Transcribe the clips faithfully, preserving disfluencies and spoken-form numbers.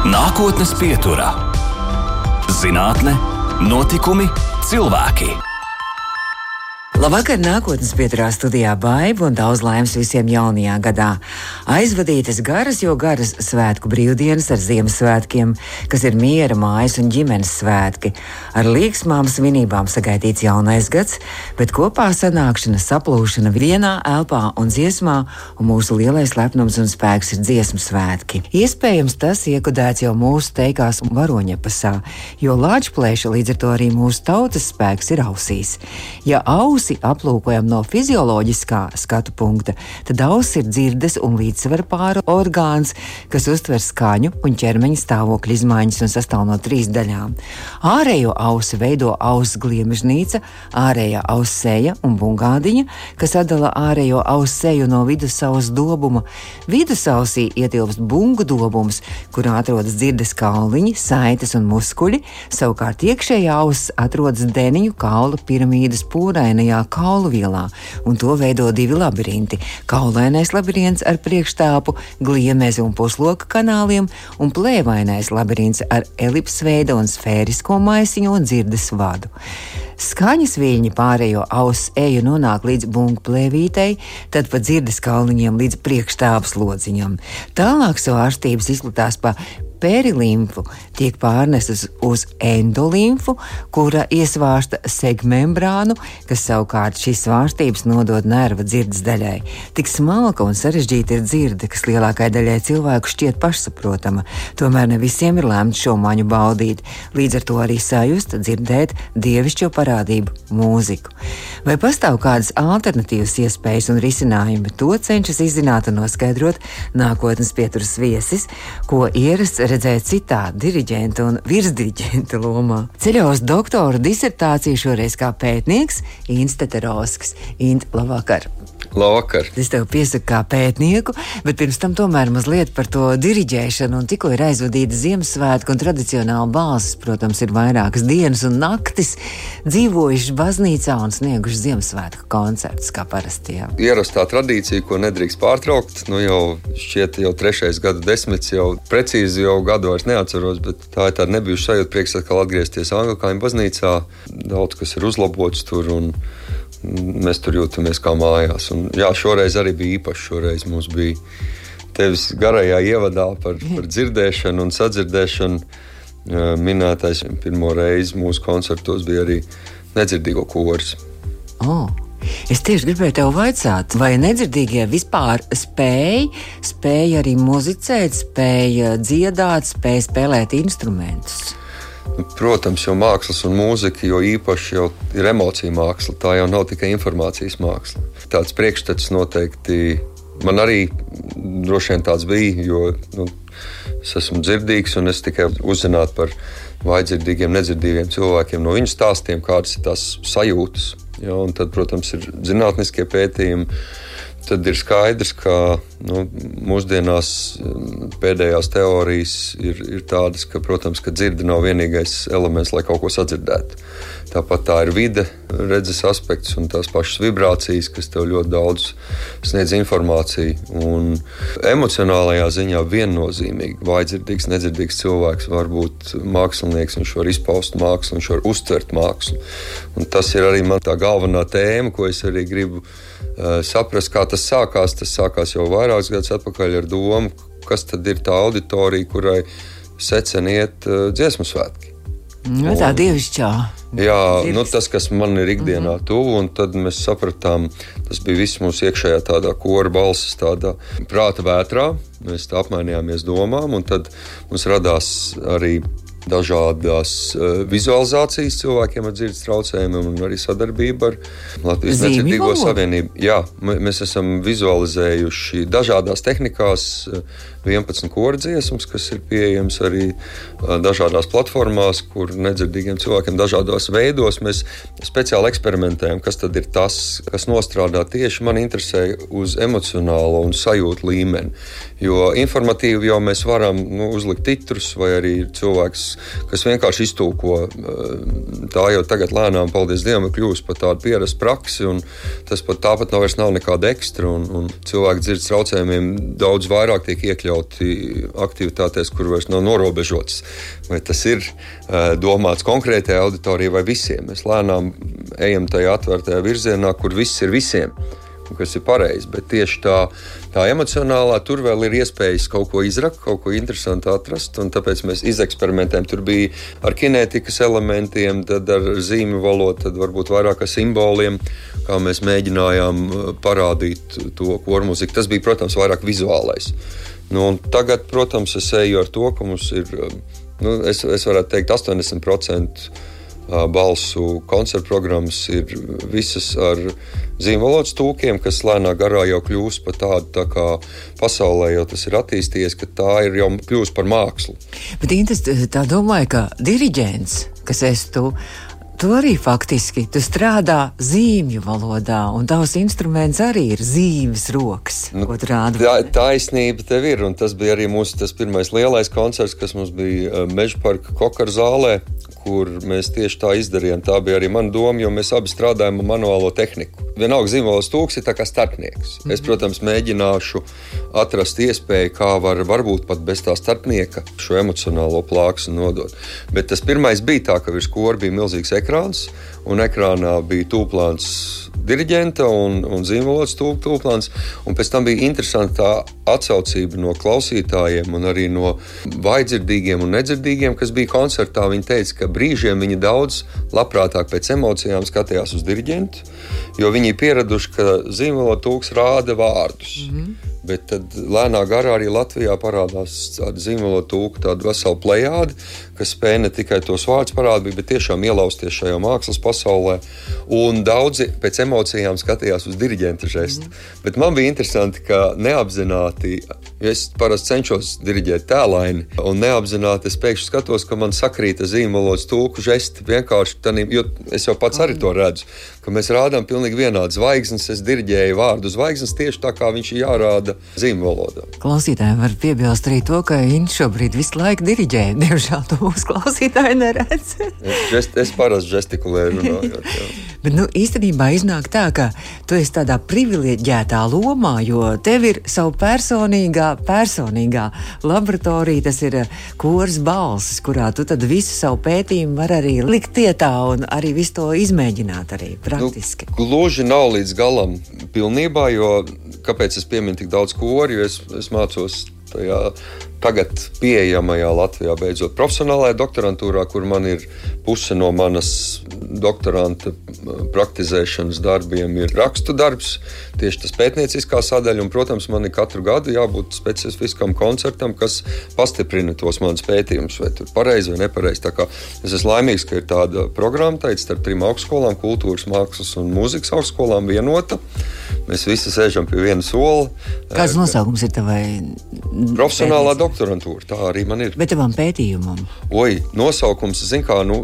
Nākotnes pieturā - zinātne, notikumi, cilvēki. Labvakar, nākotnes pieturā studijā Baiba un daudz laimes visiem jaunajā gadā. Aizvadītas garas, jo garas svētku brīvdienas ar Ziemassvētkiem, kas ir miera, mājas un ģimenes svētki. Ar līgsmām svinībām sagaidīts jaunais gads, bet kopā sanākšana, saplūšana vienā elpā un dziesmā, un mūsu lielais lepnums un spēks ir dziesmu svētki. Iespējams, tas iekodēts jau mūsu teikās varoņepasā, jo lāčplēša līdz ar to arī mūsu tautas spēks ir ausīs. Ja ausi aplūkojam no fizioloģiskā skatu punkta, tad auss ir dzirdes un līdzsvara pāra orgāns, kas uztver skaņu un ķermeņa stāvokļa izmaiņas un sastāv no trīs daļām. Ārējo ausi veido auss gliemežnīca, ārējā auss seja un bungādiņa, kas atdala ārējo auss seju no vidusauss dobuma. Vidusausī ietilpst bungu dobums, kurā atrodas dzirdes kauliņi, saites un muskuļi, savukārt iekšējā auss atrodas deniņu kaula piramīdas pūrainajā kaulu vielā, un to veido divi labirinti - kaulainais labirints ar priekštāpu, gliemezi un pusloka kanāliem, un plēvainais labirints ar elipsveida un sfērisko maisiņu un dzirdes vadu. Skaņas viļņi pārējo auss eju nonāk līdz bungu plēvītei, tad pa dzirdes kauliņiem līdz priekštāpas lodziņam. Tālāk svārstības izplatās pa perilimfu, tiek pārnestas uz endolimfu, kura iesvārsta segmembrānu, kas savukārt šīs svārstības nodod nerva dzirdes daļai. Tik smalka un sarežģīta ir dzirde, kas lielākai daļai cilvēku šķiet pašsaprotama, tomēr ne visiem ir lēmts šo maņu baudīt, līdz ar to arī sajust, dzirdēt dievišķo parādību mūziku. Vai pastāv kādas alternatīvas iespējas un risinājumi? To cenšas izzināt un noskaidrot nākotnes pieturas viesis, ko ierasts redzēt citā diriģenta un virsdiriģenta lomā. Ceļā uz doktora disertāciju šoreiz kā pētnieks Ints Teterovskis. Int, labvakar! Labvakar! Es tev piesaku kā pētnieku, bet pirms tam tomēr mazliet par to diriģēšanu, un tikko ir aizvadīta Ziemassvētku un tradicionāli balsis, protams, ir vairākas dienas un naktis dzīvojuši baznīcā un snieguši Ziemassvētku koncertus, kā parasti, jā. Ierastā tradīcija, ko nedrīkst pārtraukt, nu jau šķiet jau trešais gadu desmits, jau precīzi jau gadu vairs neatceros, bet tā ir tāda nebijuša sajūta, prieks atkal atgriezties Anglikāņu baznīcā. Daudz kas ir uzlabots tur un mēs tur jūtamies kā mājās. Un, jā, šoreiz arī bija īpaši. Šoreiz mums bija tevis garajā ievadā par, par dzirdēšanu un sadzirdēšanu. Minētais pirmo reizi mūsu koncertos bija arī nedzirdīgo koris. Oh. Es tieši gribēju tev vaicāt, vai nedzirdīgie vispār spēj, spēj arī muzicēt, spēj dziedāt, spēj spēlēt instrumentus? Protams, jau mākslas un mūzika, jo īpaši jau ir emocija māksla, tā jau nav tikai informācijas māksla. Tāds priekšstats noteikti man arī droši vien tāds bija, jo nu, es esmu dzirdīgs un es tikai uzzinātu par vājdzirdīgiem, nedzirdīgiem cilvēkiem no viņu stāstiem, kādas ir tās sajūtas. Ja, un tad, protams, ir zinātniskie pētījumi. Tad ir skaidrs, ka nu, mūsdienās pēdējās teorijas ir, ir tādas, ka, protams, ka dzirde nav vienīgais elements, lai kaut ko sadzirdētu. Tāpat tā ir vide, redzes aspekts un tās pašas vibrācijas, kas tev ļoti daudz sniedz informāciju. Un emocionālajā ziņā viennozīmīgi vājdzirdīgs, nedzirdīgs cilvēks var būt mākslinieks, viņš var izpaust mākslu, viņš var uztvert mākslu. Un tas ir arī man tā galvenā tēma, ko es arī gribu uh, saprast, kā tas sākās. Tas sākās jau vairākus gadus atpakaļ ar domu, kas tad ir tā auditorija, kurai secen iet uh, dziesmu svētki. Nu, tā dievišķā. Jā, nu, tas, kas man ir ikdienā tuvu, un tad mēs sapratām, tas bija viss mūsu iekšējā tādā kora balsis, tādā prāta vētrā. Mēs tā apmainījāmies domām, un tad mums radās arī dažādas uh, vizualizācijas cilvēkiem ar dzirdes traucējumiem un arī sadarbība ar Latvijas Nedzirdīgo savienību. Jā, mēs esam vizualizējuši dažādās tehnikās vienpadsmit kora dziesmas, kas ir pieejams arī uh, dažādās platformās, kur nedzirdīgiem cilvēkiem dažādos veidos mēs speciāli eksperimentējam, kas tad ir tas, kas nostrādā tieši man interesē uz emocionālo un sajūtu līmeni. Jo informatīvi jau mēs varam nu, uzlikt titrus vai arī cilvēks kas vienkārši iztulko. Tā jau tagad lēnām, paldies Dievam, ir kļūst par tādu pierastu praksi, un tas pat tāpat nav vairs nav nekāda ekstra, un, un cilvēki dzirdes traucējumiem daudz vairāk tiek iekļauti aktivitātēs, kur vairs nav norobežotas. Vai tas ir uh, domāts konkrētajai auditorijai vai visiem? Mēs lēnām ejam tajā atvērtajā virzienā, kur viss ir visiem, kas ir pareizi, bet tieši tā, tā emocionālā tur vēl ir iespējas kaut ko izrakt, kaut ko interesantu atrast, un tāpēc mēs izeksperimentējam. Tur bija ar kinētikas elementiem, tad ar zīmju valodu, tad varbūt vairāk ar simboliem, kā mēs mēģinājām parādīt to kormuziku. Tas bija, protams, vairāk vizuālais. Nu, un tagad, protams, es eju ar to, ka mums ir, nu, es, es varētu teikt, astoņdesmit procenti balsu koncertu programmas ir visas ar zīmvalodas tūkiem, kas lēnā garā jau kļūst par tādu, tā kā pasaulē jau tas ir attīstījies, ka tā ir jau kļūst par mākslu. Bet Intas, tā domāju, ka diriģents, kas esi tu, tu arī faktiski, tu strādā zīmju valodā, un tavs instruments arī ir zīmes rokas, nu, ko tu rādi. Tā, taisnība tev ir, un tas bija arī mūsu tas pirmais lielais koncerts, kas mums bija Mežaparka Kokaru zālē, kur mēs tieši tā izdarījām. Tā bija arī mana doma, jo mēs abi strādājam ar manuālo tehniku. Vienalga zīmvalodas tūks ir tā kā starpnieks. Mm-hmm. Es, protams, mēģināšu atrast iespēju, kā var varbūt pat bez tā starpnieka šo emocionālo plāksni nodot. Bet tas pirmais bija tā, ka virs kora bija milzīgs ekrāns, un ekrānā bija tūplāns diriģenta un, un zīmvalodas tūplāns, un pēc tam bija interesanti tā atsaucība no klausītājiem un arī no vājdzirdīgiem un nedzirdīgiem, kas bija koncertā. Viņi teica, ka brīžiem viņi daudz labprātāk pēc emocijām skatījās uz diriģentu, jo viņi ir pieraduši, ka zīmvalodas tūks rāda vārdus. Mm-hmm. Bet tad lēnā garā arī Latvijā parādās tāda zīmvalodu tūka, tāda vesela plejāde, kas spēja ne tikai tos vārdus parādīt, bet tiešām ielausties šajā mākslas pasaulē. Un daudzi pēc emocijām skatījās uz diriģenta žestu. Mm. Bet man bija interesanti, ka neapzināti, jo es parasti cenšos diriģēt tēlaini, un neapzināti es pēkšņi skatos, ka man sakrīta zīmvalodas tūku žesti vienkārši tanī, jo es jau pats arī to redzu, ka mēs rādām pilnīgi vienādas zvaigznes, es diriģēju vārdu zvaigznes tieši tā, kā viņš ir jārāda zīmvalodā. Klausītājiem var piebilst arī to, ka viņš šobrīd visu laiku diriģē. Diemžēl to mūsu klausītāji neredz. es, es parasti žestikulēju runājot. Jā. Bet nu, īstenībā iznāk tā, ka tu esi tādā privileģētā lomā, jo tev ir savu personīgā, personīgā laboratorija, tas ir kors balsis, kurā tu tad visu savu pētījumu var arī likt tietā un arī visu to izmēģināt arī praktiski. Nu, gluži nav līdz galam pilnībā, jo kāpēc es pieminu tik daudz koru, jo es, es mācos tajā tagad pieejamajā Latvijā beidzot profesionālajā doktorantūrā, kur man ir puse no manas doktoranta praktizēšanas darbiem ir rakstu darbs, tieši tas pētnieciskā sadaļa, un, protams, man ir katru gadu jābūt specifiskam koncertam, kas pastiprina tos manas pētījumus, vai tur pareizi vai nepareizi. Tā kā es esmu laimīgs, ka ir tāda programma, teica, starp trim augstskolām, kultūras, mākslas un mūzikas augstskolām vienota. Mēs visi sēžam pie viena sola. Kāds nosaukums ir tavai? Profesionālā doktorantūra, tā arī man ir. Bet tavam pētījumam? Oi, nosaukums, zin kā, nu,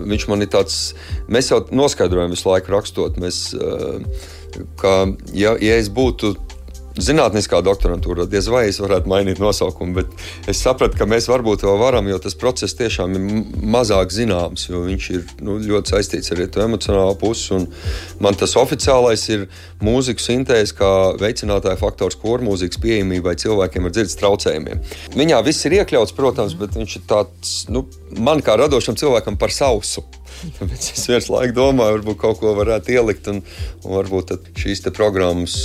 viņš man ir tāds, mēs jau noskaidrojam visu laiku rakstot, mēs, ka, ja, ja es būtu zinātniskā doktorantūra, diez vai es varētu mainīt nosaukumu, bet es sapratu, ka mēs varbūt vēl varam, jo tas process tiešām ir mazāk zināms, jo viņš ir nu, ļoti saistīts ar to emocionālo pusi, un man tas oficiālais ir mūziku sintēze kā veicinātāja faktors kormūzikas pieejamībai cilvēkiem ar dzirdes traucējumiem. Viņā viss ir iekļauts, protams, bet viņš ir tāds, nu, man kā radošam cilvēkam par sausu. Tāpēc es viens laiku domāju, varbūt kaut ko varētu ielikt, un, un varbūt šīs te programmas,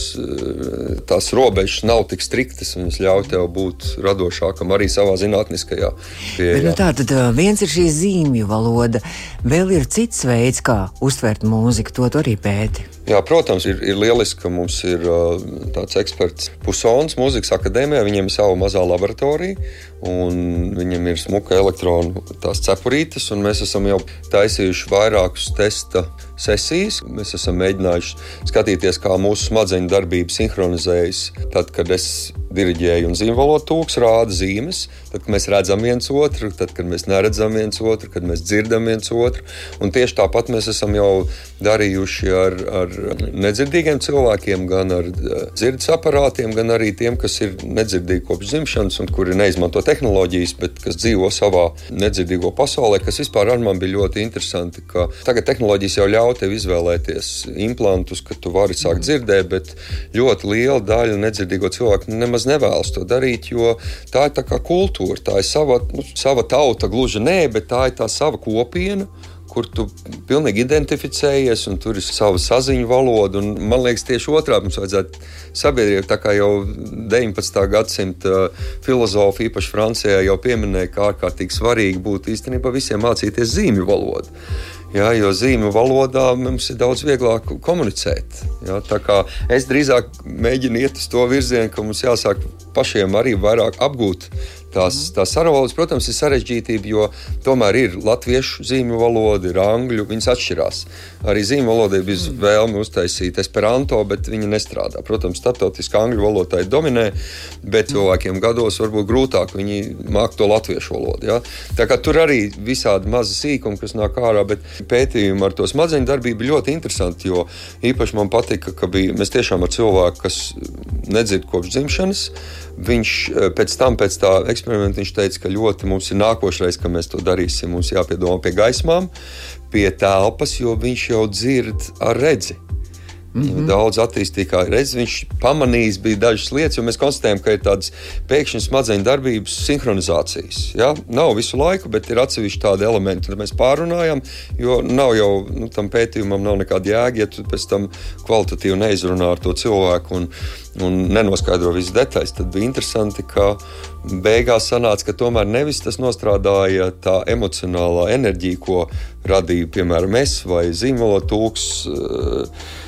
tās robežas nav tik striktas, un es ļauju tev būt radošākam arī savā zinātniskajā pieejā. Bet, nu tā, tad viens ir šī zīmju valoda, vēl ir cits veids, kā uztvert mūziku, to tu arī pēti. Jā, protams, ir, ir lieliski, ka mums ir uh, tāds eksperts Pusons mūzikas akadēmijā, viņiem ir sava mazā laboratorija, un viņiem ir smuka elektronu tās cepurītes, un mēs esam jau taisījuši vairākus testa sesijas. Mēs esam mēģinājuši skatīties, kā mūsu smadzeņu darbība sinhronizējas. Tad, kad es diriģēju un zīmvalodu tūks rāda zīmes, tad, kad mēs redzam viens otru, tad, kad mēs neredzam viens otru, kad mēs dzirdam viens otru. Un tieši tāpat mēs esam jau darījuši ar, ar nedzirdīgiem cilvēkiem, gan ar dzirdes aparātiem, gan arī tiem, kas ir nedzirdīgi kopš dzimšanas un kuri neizmanto tehnoloģijas, bet kas dzīvo savā nedzirdīgo pasaulē, kas vispār ar man bija ļoti interesanti, ka tagad tehnoloģijas jau ļauj tev izvēlēties implantus, ka tu vari sākt dzirdēt, bet ļoti liela daļa nedzirdīgo cilvēku nemaz nevēlas to darīt, jo tā ir tā kā kultūra, tā ir sava, nu, sava tauta, gluži nē, bet tā ir tā sava kopiena, kur tu pilnīgi identificējies, un tur ir sava saziņu valoda. Un, man liekas, tieši otrādi mums vajadzētu sabiedrību, tā kā jau deviņpadsmitā gadsimta filozofi, īpaši Francijā, jau pieminēja, kā ārkārtīgi svarīgi būtu īstenībā visiem mācīties zīmju valodu. Jā, jo zīmju valodā mums ir daudz vieglāk komunicēt. Jā, tā kā es drīzāk mēģinu iet uz to virzienu, ka mums jāsāk pašiem arī vairāk apgūt tās, tās sarunvalodas. Protams, ir sarežģītība, jo tomēr ir latviešu zīmju valoda, ir angļu, viņas atšķirās. Arī zīmju valodai bija vēlme uztaisīt esperanto, bet viņa nestrādā. Protams, starptautiski angļu valodā dominē, bet cilvēkiem gados varbūt grūtāk viņi māk to latviešu valodu. Jā. Tā kā tur arī visādi mazi sīkumi, kas nāk ārā, bet pētījumi ar to smadzeņu darbību ļoti interesanti, jo īpaši man patika, ka bija, mēs tiešām ar cilvēku, kas nedzird kopš dzimšanas, viņš pēc tam, pēc tā eksperimenta, viņš teica, ka ļoti mums ir nākošreiz, ka mēs to darīsim, mums jāpiedomā pie gaismām, pie telpas, jo viņš jau dzird ar redzi. Mm-hmm. Daudz attīstīgā redz, viņš pamanījis bija dažas lietas, jo mēs konstatējam, ka ir tādas pēkšņi smadzeņu darbības sinhronizācijas. Ja? Nav visu laiku, bet ir atsevišķi tādi elementi, tad mēs pārunājam, jo nav jau, nu, tam pētījumam nav nekāda jēga, ja tu pēc tam kvalitatīvi neizrunā ar to cilvēku un, un nenoskaidro visas detaļas. Tad bija interesanti, ka beigās sanāca, ka tomēr nevis tas nostrādāja tā emocionālā enerģija, ko radīja, piemēram, es vai zīmvalodu tūks.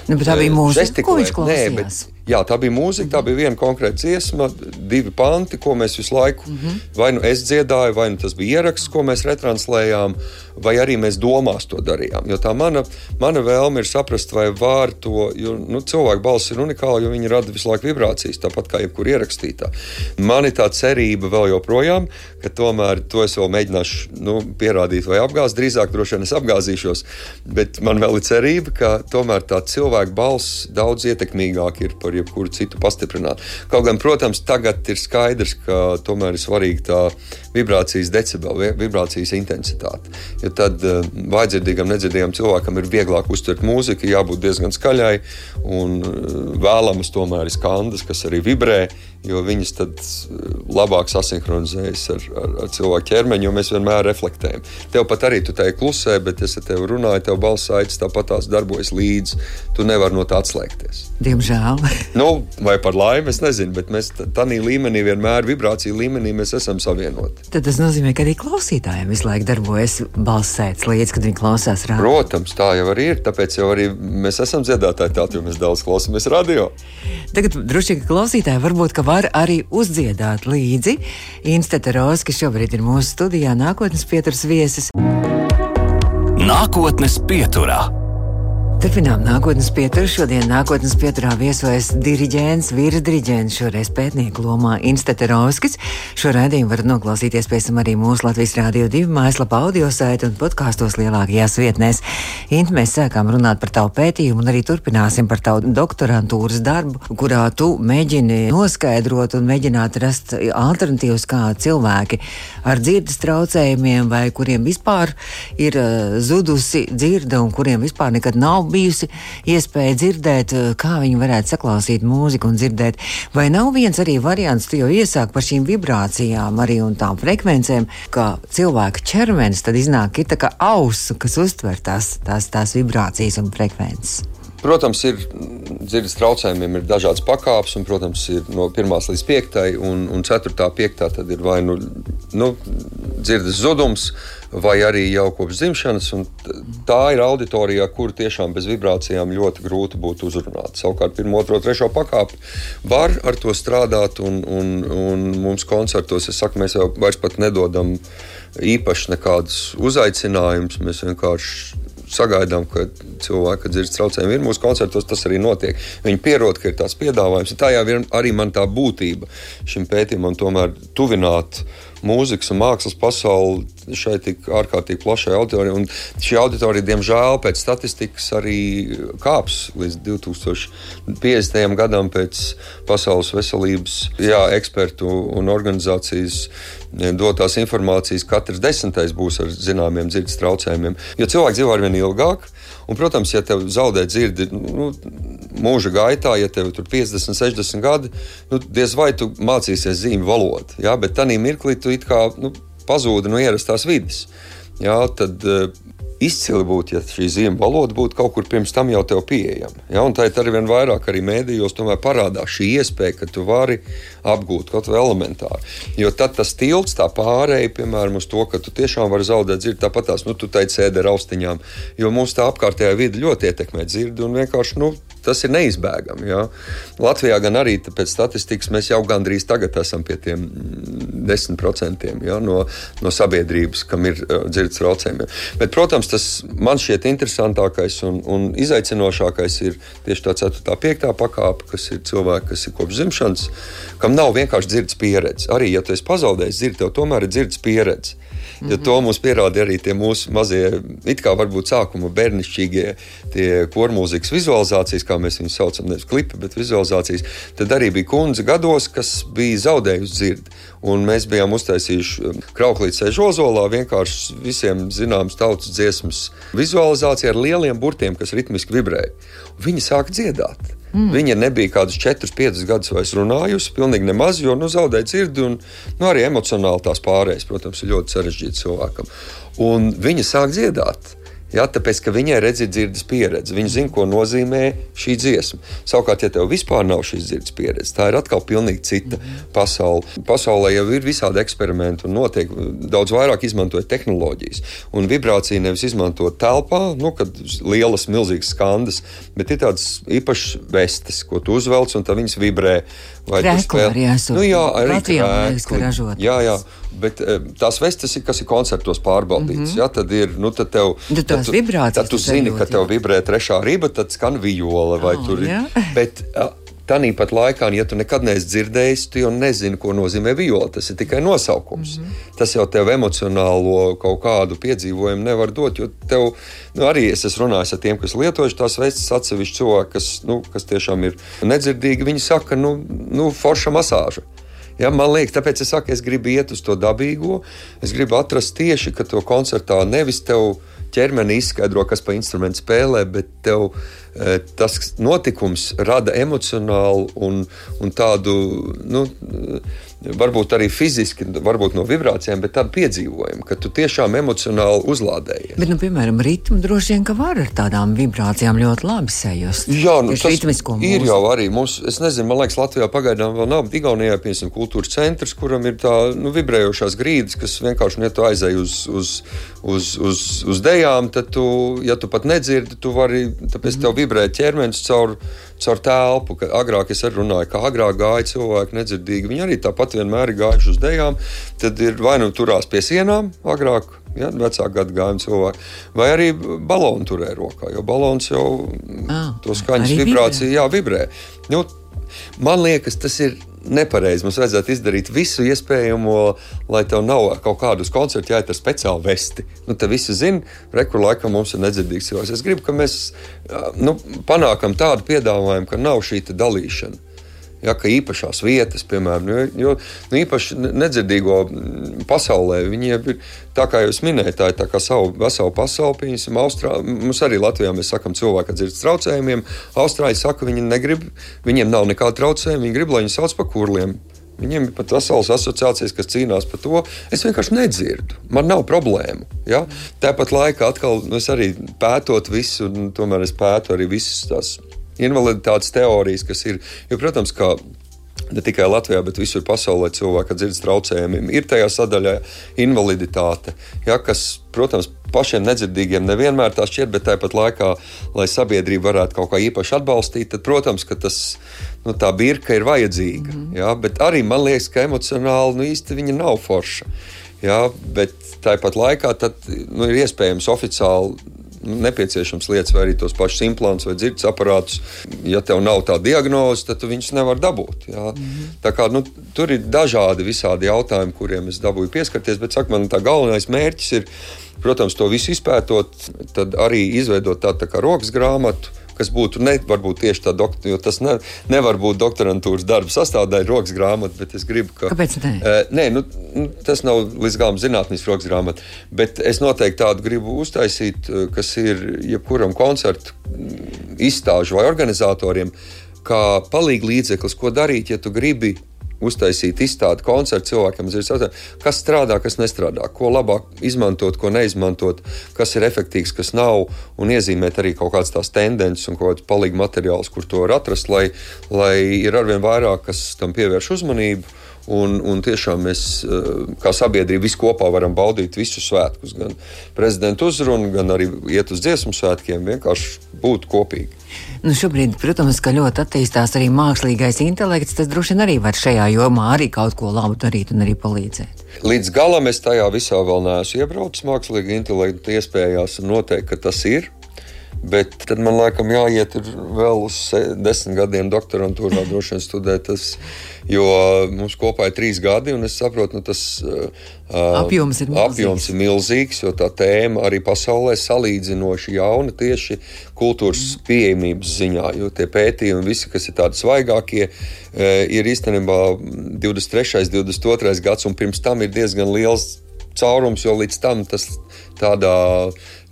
Nu, bet tā bija mūzika, ko viņš klausījās? Nē, bet, jā, tā bija mūzika, tā bija viena konkrēta dziesma, divi panti, ko mēs visu laiku, mm-hmm. vai nu es dziedāju, vai nu tas bija ieraksts, ko mēs retranslējām, vai arī mēs domās to darījām. Jo tā mana, mana vēlme ir saprast, vai var to, jo nu, cilvēku balss ir unikāla, jo viņi rada visu laiku vibrācijas, tāpat kā jebkur ierakstītā. Man ir tā cerība vēl joprojām, ka tomēr to es vēl mēģināšu nu, pierādīt vai apgāzt, drīzāk droši vien es apgāzīšos, bet man vēl ir cerība, ka tomēr tā cilvēku balss daudz ietekmīgāk ir par jebkuru citu pastiprināt. Kaut gan, protams, tagad ir skaidrs, ka tomēr ir svarīga tā vibrācijas decibeli, vibrācijas intensitāte. Jo tad uh, vājdzirdīgam, nedzirdīgam cilvēkam ir vieglāk uztvert mūziku, jābūt diezgan skaļai, un uh, vēlamas tomēr ir skandas, kas arī vibrē, jo viņas tad labāk sasinhronizējas ar, ar, ar cilvēku ķermeņu, jo mēs vienmēr reflektējam. Tev pat arī tu tai klusē, bet es ar tevi runāju, tev balss aicis tāpat tās darbojas līdzi. Tu nevar no tā atslēgties. Diemžēl. Nu, vai par laimi, es nezinu, bet mēs tādā līmenī vienmēr, vibrāciju līmenī mēs esam savienoti. Tad tas nozīmē, ka arī klausītājiem visu laiku darbojas balss aicis līdzi, kad viņi klausās radio. Protams, tā jau arī ir, tāpēc jau arī mēs esam dziedātāji tādi, jo mēs daudz klausamies radio. Tagad droši, ka klausītāji varbūt, ka var arī uzdziedāt līdzi. Instete Roze, kas šobrīd ir mūsu studijā, nākotnes pieturas viesis. Nākotnes pieturā. Turpinām nākotnes pieturu. Šodien nākotnes pieturā viesojas diriģents, vīrs diriģents, šoreiz pētnieku lomā Instete Roze. Šo raidījumu varat noklausīties pēc tam arī mūsu Latvijas Rādio divi mājaslapā, audiosaiti un podkāstos lielākajās vietnēs. Int, mēs sākām runāt par tavu pētījumu un arī turpināsim par tavu doktorantūras darbu, kurā tu mēģini noskaidrot un mēģināt rast alternatīvas, kā cilvēki ar dzirdes traucējumiem vai kuriem vispār ir uh, zudusi dzirde un kuriem vispār nekad nav bijusi iespēja dzirdēt, kā viņi varētu saklausīt mūziku un dzirdēt. Vai nav viens arī variants, tu jau iesāk par šīm vibrācijām arī un tām frekvencēm, ka cilvēka ķermenis tad iznāk ir tā kā ausu, kas uztver tās, tās, tās vibrācijas un frekvences? Protams, ir dzirdes traucējumiem ir dažādas pakāpes, un, protams, ir no pirmās līdz piektai, un, un ceturtā, piektā tad ir vai nu, nu dzirdes zudums, vai arī jau kopš dzimšanas, un tā ir auditorijā, kur tiešām bez vibrācijām ļoti grūti būtu uzrunāt. Savukārt pirmo, otro, trešo pakāpi var ar to strādāt, un, un, un mums koncertos, es saku, mēs jau vairs pat nedodam īpaši nekādus uzaicinājumus, mēs vienkārši sagaidām, ka cilvēki dzirdes traucējumi ir mūsu koncertos, tas arī notiek. Viņi pierod, ka ir tāds piedāvājums. Tā jau ir arī man tā būtība šim pētījumam tomēr tuvināt mūzikas un mākslas pasauli šai tik ārkārtīgi plašai auditorijai. Un šī auditorija, diemžēl, pēc statistikas arī kāps līdz divi tūkstoši piecdesmitajam gadam pēc pasaules veselības jā, ekspertu un organizācijas dotās informācijas. Katrs desmitais būs ar zināmiem dzirdes traucējumiem. Jo cilvēki dzīvo arvien ilgāk. Un, protams, ja tev zaudē dzirdi nu, mūža gaitā, ja tev tur piecdesmit, sešdesmit gadi, nu, diez vai tu mācīsies zīmju valodu. Ja? Bet tanī mirklī tu it kā nu, pazūdi no ierastās vides. Ja? Tad uh, izcili būtu, ja šī zīmju valoda būtu kaut kur pirms tam jau tev pieejama. Ja? Un tā ir arī vien vairāk arī mēdījos tomēr parādās šī iespēja, ka tu vari apgūt kaut vai elementāri. Jo tad tas tilts, tā pārēja, piemēram, uz to, ka tu tiešām vari zaudēt dzirdi, tāpat tās, nu, tu teici sēdi ar austiņām, jo mums tā apkārtējā vide ļoti ietekmē dzirdi un vienkārši, nu, tas ir neizbēgami. Ja? Latvijā gan arī pēc statistikas mēs jau gandrīz tagad esam pie tiem desmit procentiem ja? no, no sabiedrības, kam ir uh, dzirdes traucējumi. Bet, protams, tas man šķiet interesantākais un, un izaicinošākais ir tieši tā ceturtā, piektā pakāpe, kas ir cilvēki, kas ir kopš dzimšanas, kam nav vienkārši dzirdes pieredze. Arī, ja tu esi pazaudējis dzirdi, tev tomēr ir dzirdes pieredze. Mm-hmm. Jo to mums pierāda arī tie mūsu mazie, it kā varbūt sākuma bērnišķīgie tie kormūzikas vizualizācijas, kā mēs viņus saucam, nevis klipi, bet vizualizācijas. Tad arī bija kundze gados, kas bija zaudējusi dzirdi. Un mēs bijām uztaisījuši Krauklītes sēž Ozolā vienkārši visiem zināmas tautas dziesmas vizualizācija ar lieliem burtiem, kas ritmiski vibrēja. Viņi sāka dziedāt. Mm. Viņa nebija kādus četrus, piecus gadus vairs runājusi, pilnīgi nemaz, jo nu, zaudēja dzirdi un nu, arī emocionāli tās pārējas, protams, ir ļoti sarežģīti cilvēkam. Un viņa sāk dziedāt. Ja, tāpēc, ka viņai redz ir dzirdes pieredze. Viņa zina, ko nozīmē šī dziesma. Savukārt, ja tev vispār nav šīs dzirdes pieredzes, tā ir atkal pilnīgi cita pasaule. Pasaulē jau ir visādi eksperimenti un notiek daudz vairāk izmantojot tehnoloģijas. Un vibrācija nevis izmantot telpā, nu, kad lielas, milzīgas skandas, bet ir tādas īpašas vestes, ko tu uzvelc un tā viņas vibrē. Krēkli arī esot. Nu, jā, arī Latvijā krēkli. Ražot. Jā, jā. Bet tās vestes ir, kas ir koncertos pārbaudītas. Mm-hmm. Ja, tad ir, nu, tad tev, tad tu, tad tu zini, ka tev vibrē trešā riba, tad skan viola vai oh, tur ir. Bet tanīpat laikā, ja tu nekad neesi dzirdējis, tu jau nezini, ko nozīmē viola. Tas ir tikai nosaukums. Mm-hmm. Tas jau tev emocionālo kaut kādu piedzīvojumu nevar dot, jo tev, nu, arī es esmu runājis ar tiem, kas lietojuši tās vestes atsevišķi cilvēki, kas, nu, kas tiešām ir nedzirdīgi. Viņi saka, nu, nu forša masāža. Ja, man liekas, tāpēc es saku, es gribu iet uz to dabīgo. Es gribu atrast tieši, ka to koncertā nevis tev ķermeni izskaidro, kas pa instrumentu spēlē, bet tev e, tas notikums rada emocionālu un, un tādu, nu, varbūt arī fiziski, varbūt no vibrācijām, bet tādu piedzīvojumu, ka tu tiešām emocionāli uzlādējies. Bet, nu, piemēram, ritmu droši vien, ka var ar tādām vibrācijām ļoti labi sajust. Jā, nu, tas ir jau arī. Mums, es nezinu, man liekas, Latvijā pagaidām vēl nav, bet Igaunijā, piemēram, kultūras centrs, kuram ir tā, nu, vibrējošās grīdas, kas vienkārši, ja tu aizēji uz, uz, uz, uz, uz dejām, tad tu, ja tu pat nedzirdi, tu vari, tāpēc tev vibrē ķermenis caur, caur telpu. Agrāk es arī runāju, ka agrāk gāja cilvēki nedzirdīgi. Viņi arī tāpat vienmēr ir gājuši uz dejām, tad ir vai nu turās pie sienām agrāk, ja, vecāku gadu gājumu cilvēki, vai arī balonu turē rokā, jo balons jau ah, to skaņas vibrāciju, jā, vibrē. Nu, man liekas, tas ir nepareizi. Mums vajadzētu izdarīt visu iespējamo, lai tev nav kaut kādu uz koncertu jāiet ar speciālu vesti. Nu, te visi zina, rekur laikam mums ir nedzirdīgs cilvēks. Es gribu, ka mēs nu, panākam tādu piedāvājumu, ka nav šī dalīšana. Ja, ka īpašās vietas, piemēram, jo, jo nu, īpaši nedzirdīgo pasaulē, viņiem ir, tā kā jūs minējāt, tā ir tā kā savu veselu pasauli, pieņemsim, Austrā, mums arī Latvijā mēs sakam cilvēki ar dzirdes traucējumiem, Austrāļi saka, viņi negrib, viņiem nav nekāda traucējuma, viņi grib, lai viņi sauc par kurliem. Viņiem ir pat veselas asociācijas, kas cīnās par to. Es vienkārši nedzirdu. Man nav problēmu. Ja? Tāpat laikā atkal, nu, es arī pētot visu, un tomēr es pētu arī visas tās invaliditātes teorijas, kas ir, jo, protams, ka ne tikai Latvijā, bet visur pasaulē cilvēki ar dzirdes traucējumiem ir tajā sadaļā invaliditāte, ja, kas, protams, pašiem nedzirdīgiem nevienmēr tā šķiet, bet tāpat laikā, lai sabiedrība varētu kaut kā īpaši atbalstīt, tad, protams, ka tas, nu, tā birka ir vajadzīga, mm-hmm. ja, bet arī man liekas, ka emocionāli, nu, īsti viņa nav forša, ja, bet tāpat laikā tad, nu, ir iespējams oficiāli nepieciešams lietas, vai arī tos pašus implants vai dzirdes aparātus. Ja tev nav tā diagnoze, tad tu viņus nevar dabūt. Jā. Mm-hmm. Tā kā, nu, tur ir dažādi visādi jautājumi, kuriem es dabūju pieskarties, bet saka, man tā galvenais mērķis ir, protams, to visu izpētot, tad arī izveidot tādu tā kā rokas grāmatu, kas būtu ne, varbūt tieši tā doktora, jo tas ne, nevar būt doktorantūras darba sastāvdaļa rokas grāmata, bet es gribu, ka... Kāpēc ne? Uh, nē, nu, tas nav līdz galam zinātnisks rokas grāmata, bet es noteikti tādu gribu uztaisīt, kas ir jebkuram koncertu izstāžu vai organizatoriem, kā palīga līdzeklis, ko darīt, ja tu gribi uztaisīt izstādi koncertu cilvēkiem, kas strādā, kas nestrādā, ko labāk izmantot, ko neizmantot, kas ir efektīvs, kas nav, un iezīmēt arī kaut kādas tās tendences un kaut kāds palīga materiāls, kur to var atrast, lai, lai ir arvien vairāk, kas tam pievērš uzmanību. Un, un tiešām mēs, kā sabiedrība, visi kopā varam baudīt visus svētkus, gan prezidenta uzrunu, gan arī iet uz dziesmu svētkiem, vienkārši būt kopīgi. Nu, šobrīd, protams, ka ļoti attīstās arī mākslīgais intelekts, tas droši vien arī var šajā jomā arī kaut ko labu darīt un arī palīdzēt. Līdz galam es tajā visā vēl neesmu iebraucis mākslīga intelekta iespējās, un noteikti, ka tas ir. Bet tad man laikam jāiet vēl uz desmit gadiem doktorantūrā droši vien studēt, tas, jo mums kopā ir trīs gadi, un es saprotu, nu tas uh, apjoms ir milzīgs. apjoms ir milzīgs, jo tā tēma arī pasaulē salīdzinoši jauna tieši kultūras pieejamības ziņā, jo tie pētījumi visi, kas ir tādi svaigākie, uh, ir īstenībā divdesmit trešais, divdesmit otrais gads, un pirms tam ir diezgan liels caurums, jo līdz tam tas tādā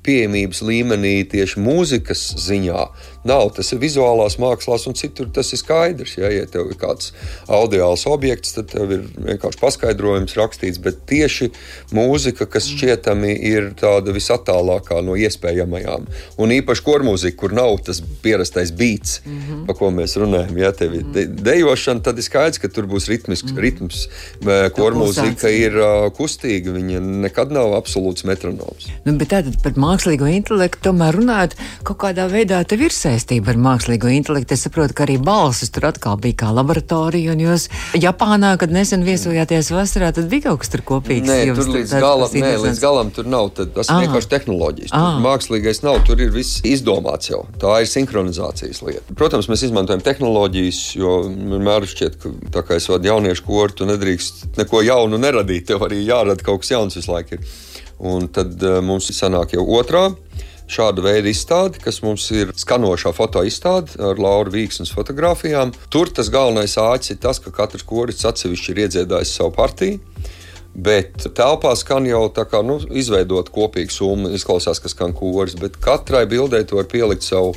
pieejamības līmenī tieši mūzikas ziņā nav. Tas ir vizuālās mākslās un citur tas ir skaidrs. Ja, ja tev ir kāds audiāls objekts, tad tev ir vienkārši paskaidrojums rakstīts, bet tieši mūzika, kas šķietami ir tāda visattālākā no iespējamajām. Un īpaši kormūzika, kur nav tas pierastais beats, mm-hmm. pa ko mēs runājam. Ja tev ir de- dejošana, tad ir skaidrs, ka tur būs ritmisks, mm-hmm. ritms. Kormūzika ir uh, kustīga, viņa nekad nav absolūts metronoms. Nu, bet tātad par mākslīgo intelektu tomēr runāt, kaut kādā veidā tev ir saistība ar mākslīgo intelektu. Es saprotu, ka arī balsis tur atkal bija kā laboratorija, un jūs Japānā, kad nesen viesojāties vasarā, tad bija kaut kas tur kopīgs. Nē, tur līdz galam, nē, līdz galam tur nav. Tad, tas ir vienkārši tehnoloģijas. Tur mākslīgais nav, tur ir viss izdomāts jau. Tā ir sinhronizācijas lieta. Protams, mēs izmantojam tehnoloģijas, jo vienmēr šķiet, ka tā kā es vadu jauniešu koru, tu nedrīkst neko jaunu neradīt. Tev arī jārada kaut kas jauns visu laiku ir. Un tad uh, mums sanāk jau otrā šāda veida izstāde, kas mums ir skanošā fotoizstāde ar Lauru Vīksnes fotogrāfijām. Tur tas galvenais āķis ir tas, ka katrs korists atsevišķi ir iedziedājis savu partiju, bet telpā skan jau tā kā, nu, izveidot kopīgu summu, izklausās, ka skan koris, bet katrai bildē tu var pielikt savu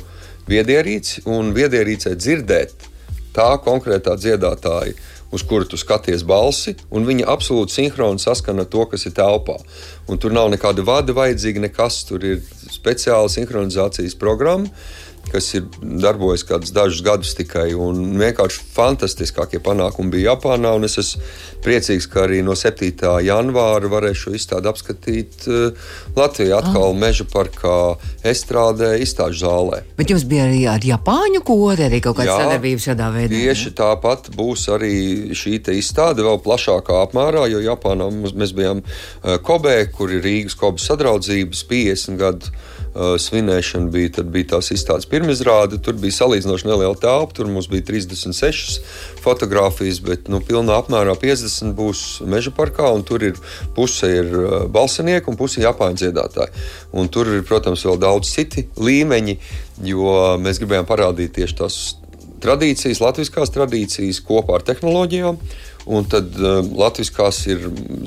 viedierīci un viedierīcē dzirdēt tā konkrētā dziedātāja, uz kuru tu skaties balsi, un viņa absolūti sinhroni saskana to, kas ir telpā. Un tur nav nekāda vada vajadzīga, nekas. Tur ir speciāla sinhronizācijas programma, kas ir darbojas kādus dažus gadus tikai, un vienkārši fantastiskākie panākumi bija Japānā, un es esmu priecīgs, ka arī no septītā janvāra varēšu izstādi apskatīt uh, Latvijā atkal ah. Meža parkā estrādē izstāžu zālē. Bet jums bija arī ar Japāņu kori, arī kaut kāda sadarbība šādā veidā? Tieši tāpat būs arī šī te izstāde vēl plašākā apmērā, jo Japānā mēs bijām uh, Kobē, kur ir Rīgas Kobas sadraudzības piecdesmit gadu uh, svinēšana bija, tad bija tās izstādes pirmizrāde, tur bija salīdzinoši neliela telpa, tur mums bija trīsdesmit sešas fotogrāfijas, bet nu, pilnā apmērā piecdesmit būs Meža parkā, un tur ir puse ir balsinieki un puse Japāņu dziedātāji. Un tur ir, protams, vēl daudz citi līmeņi, jo mēs gribējām parādīt tieši tās tradīcijas, latviskās tradīcijas kopā ar tehnoloģijām. Un tad uh, latviskās ir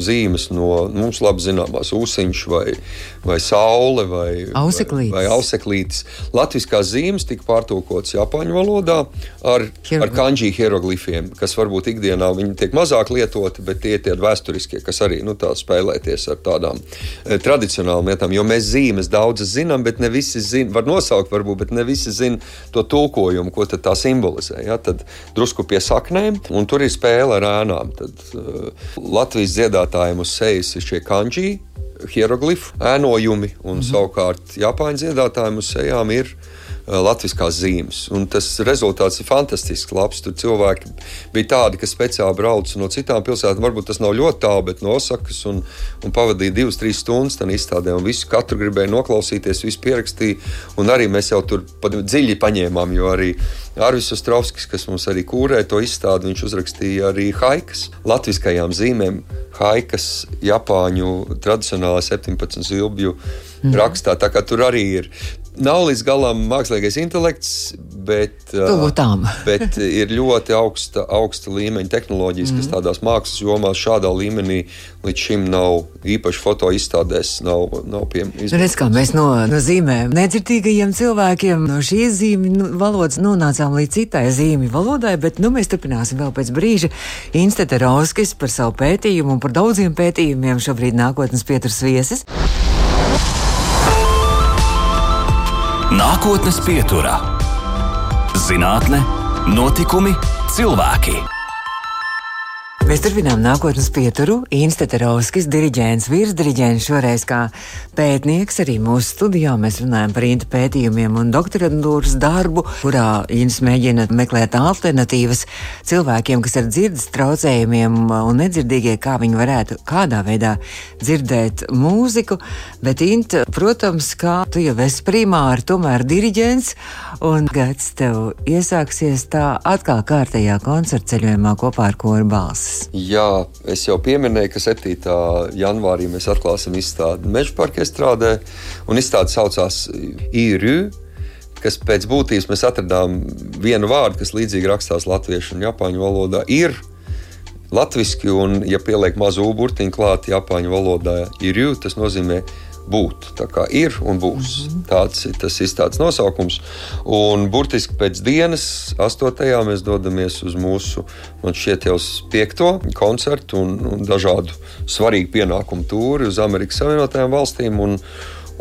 zīmes no mums labi zināmās ūsiņš vai, vai saule vai auseklītis. vai, vai auseklītis. Latviskās zīmes tika pārtulkotas Japāņu valodā ar, ar kanji hieroglifiem, kas varbūt ikdienā viņi tiek mazāk lietoti, bet tie ir tie vēsturiskie, kas arī nu, tā spēlēties ar tādām eh, tradicionālām lietām. Jo mēs zīmes daudzas zinām, bet ne visi zina, var nosaukt varbūt, bet ne visi zina to tulkojumu, ko tad tā simbolizē. Ja? Tad drusku pie saknēm, un tur ir spēle ar ēnu. Tad uh, Latvijas dziedātājiem uz sejas ir šie kanji, hieroglifu ēnojumi, un mm-hmm. savukārt Japāņu dziedātājiem uz sejām ir latviskās zīmes. Un tas rezultāts ir fantastisks, labs. Tur cilvēki bija tādi, kas speciāli brauc no citām pilsētām. Varbūt tas nav ļoti tālu, bet no Osakas un, un pavadīja divas, trīs stundas tādā izstādē. Un visu katru gribēja noklausīties, visu pierakstīja. Un arī mēs jau tur dziļi paņēmām, jo arī Arvis Ostrovskis, kas mums arī kūrē to izstādi, viņš uzrakstīja arī haikas latviskajām zīmēm. Haikas Japāņu tradicionālā septiņpadsmit zilbju mm. rakstā. Tā kā tur arī ir. Nav līdz galam mākslīgais intelekts, bet, bet ir ļoti augsta, augsta līmeņa tehnoloģijas, mm. kas tādās mākslas jomās šādā līmenī līdz šim nav īpaši fotoizstādēs, nav, nav pieejams. Redz, kā mēs no, no zīmēm nedzirdīgajiem cilvēkiem no šīs zīmju valodas nonācām līdz citai zīmju valodai, bet nu, mēs turpināsim vēl pēc brīža. Instete Rauskis par savu pētījumu un par daudziem pētījumiem šobrīd nākotnes pieturas viesis. Nākotnes pieturā - zinātne, notikumi, cilvēki. Mēs turpinām nākotnes pieturu. Instete Rauskis, diriģents, virsdiriģents, šoreiz kā pētnieks arī mūsu studijā. Mēs runājam par Inta pētījumiem un doktorantūras darbu, kurā Ints mēģina meklēt alternatīvas cilvēkiem, kas ar dzirdes traucējumiem un nedzirdīgie, kā viņi varētu kādā veidā dzirdēt mūziku. Bet Inta, protams, kā tu jau esi primāri, tomēr diriģents, un gads tev iesāksies tā atkal kārtējā koncertceļojumā kopā ar koru Balsis. Jā, es jau pieminēju, ka septītā janvārī mēs atklāsim izstādi Meža parka estrādē, un izstāde saucās I-Rü, kas pēc būtības mēs atradām vienu vārdu, kas līdzīgi rakstās latviešu un japāņu valodā. Ir latviski, un ja pieliek mazu burtiņu klāt japāņu valodā I-Rü, tas nozīmē būt. Tā kā ir un būs. Mm-hmm. Tāds ir tas izstādes nosaukums. Un burtiski pēc dienas, astotajā, mēs dodamies uz mūsu, man šķiet jau piekto koncertu un, un dažādu svarīgu pienākumu tūri uz Amerikas Savienotajām valstīm. Un,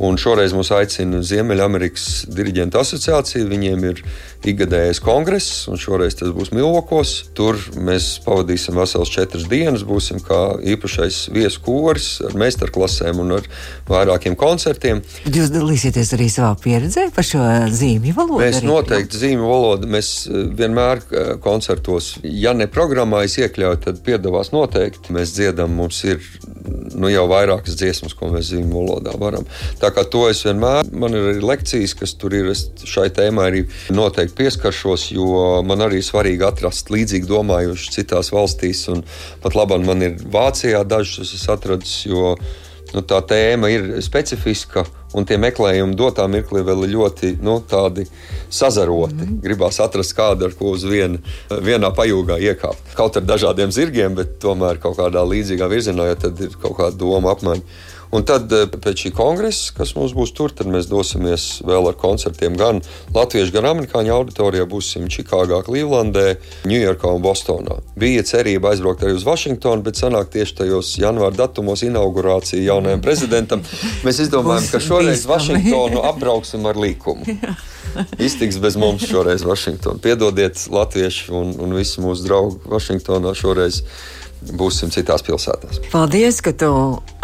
un šoreiz mūs aicina Ziemeļamerikas diriģentu asociācija. Viņiem ir ikgadējais kongress, un šoreiz tas būs Milvokos. Tur mēs pavadīsim veselas četras dienas, būsim kā īpašais viesu koris ar meistarklasēm un ar vairākiem koncertiem. Jūs dalīsieties arī savā pieredzē par šo zīmju valodu? Mēs arī, noteikti jā? Zīmju valodu, mēs vienmēr koncertos, ja ne programmā es iekļauju, tad piedalās noteikti. Mēs dziedam, mums ir nu, jau vairākas dziesmas, ko mēs zīmju valodā varam. Tā kā to es vienmēr, man ir arī lekcijas, kas tur ir, es šai tēmai arī noteikti pieskaršos, jo man arī svarīgi atrast līdzīgi domājuši citās valstīs, un pat labāk man ir Vācijā dažus es atradis, jo nu, tā tēma ir specifiska, un tie meklējumi dotā mirklī vēl ir ļoti nu, tādi sazaroti. Mm-hmm. Gribās atrast kādu, ar ko uz viena, vienā pajūgā iekāpt. Kaut ar dažādiem zirgiem, bet tomēr kaut kādā līdzīgā virzienā, jo tad ir kaut kāda doma apmaiņa. Un tad pēc šī kongresa, kas mums būs tur, tad mēs dosimies vēl ar koncertiem gan latviešu, gan amerikāņu auditorijā. Būsim Čikāgā, Klīvlandē, Ņujorkā un Bostonā. Bija cerība aizbraukt arī uz Vašingtonu, bet sanāk tieši tajos janvāra datumos inaugurācija jaunajam prezidentam. Mēs izdomājam, ka šoreiz Vašingtonu apbrauksim ar līkumu. Iztiks bez mums šoreiz Vašingtonu. Piedodiet latvieši un, un visi mūsu draugi Vašingtonā šoreiz. Būsim citās pilsētās. Paldies, ka tu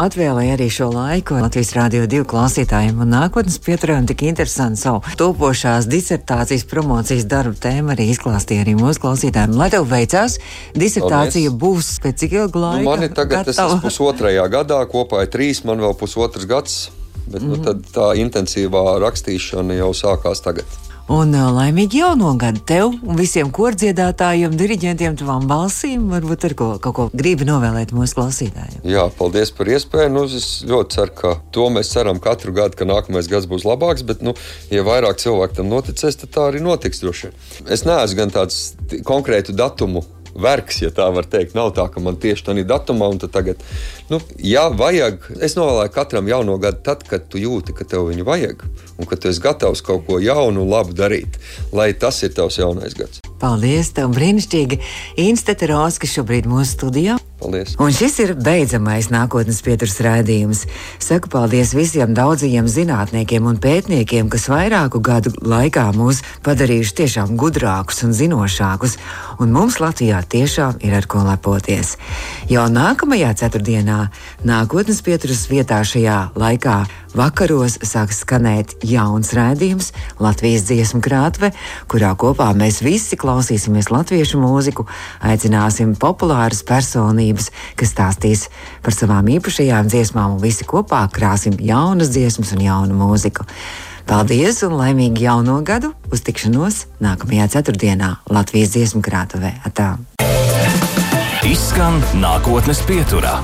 atvēlēji arī šo laiku Latvijas Rādio divi klausītājiem un nākotnes pieturē un tik interesanti savu topošās disertācijas promocijas darbu tēmu arī izklāstīja arī mūsu klausītājiem. Lai tev veicās, disertācija Paldies. Būs pēc cik ilga laika? Nu, man ir tagad, tas ir pusotrajā gadā, kopā ir trīs, man vēl pusotrs gads, bet mm-hmm. nu, tad tā intensīvā rakstīšana jau sākās tagad. Un laimīgi jauno gadu tev un visiem kordziedātājiem, diriģentiem, tavām balsīm. Varbūt ar ko, kaut ko gribi novēlēt mūsu klausītājiem. Jā, paldies par iespēju. Nu, es ļoti ceru, ka to mēs ceram katru gadu, ka nākamais gads būs labāks, bet, nu, ja vairāk cilvēku tam noticēs, tad tā arī notiks droši. Es neesmu gan tāds konkrētu datumu vergs, ja tā var teikt. Nav tā, ka man tieši tādā datumā un tad tagad, nu, jā, vajag. Es novēlēju katram jauno gadu tad, kad tu jūti, ka tev viņu vajag un ka tu esi gatavs kaut ko jaunu un labu darīt, lai tas ir tavs jaunais gads. Paldies, tev brīnišķīgi. Instete Rauskis šobrīd mūsu studijā. Paldies. Un šis ir beidzamais nākotnes pieturas raidījums. Saku paldies visiem daudzajiem zinātniekiem un pētniekiem, kas vairāku gadu laikā mūs padarījuši tiešām gudrākus un zinošākus, un mums Latvijā tiešām ir ar ko lepoties. Jau nākamajā ceturtdienā nākotnes pieturas vietā šajā laikā vakaros sāks skanēt jauns raidījums Latvijas dziesmu krātve, kurā kopā mēs visi klausīsimies latviešu mūziku, aicināsim populāras personības, kas stāstīs par savām īpašajām dziesmām, un visi kopā krāsim jaunas dziesmas un jaunu mūziku. Paldies un laimīgu jauno gadu! Uz tikšanos nākamajā ceturtdienā Latvijas dziesmu krātuvē. Atā! Izskan nākotnes pieturā.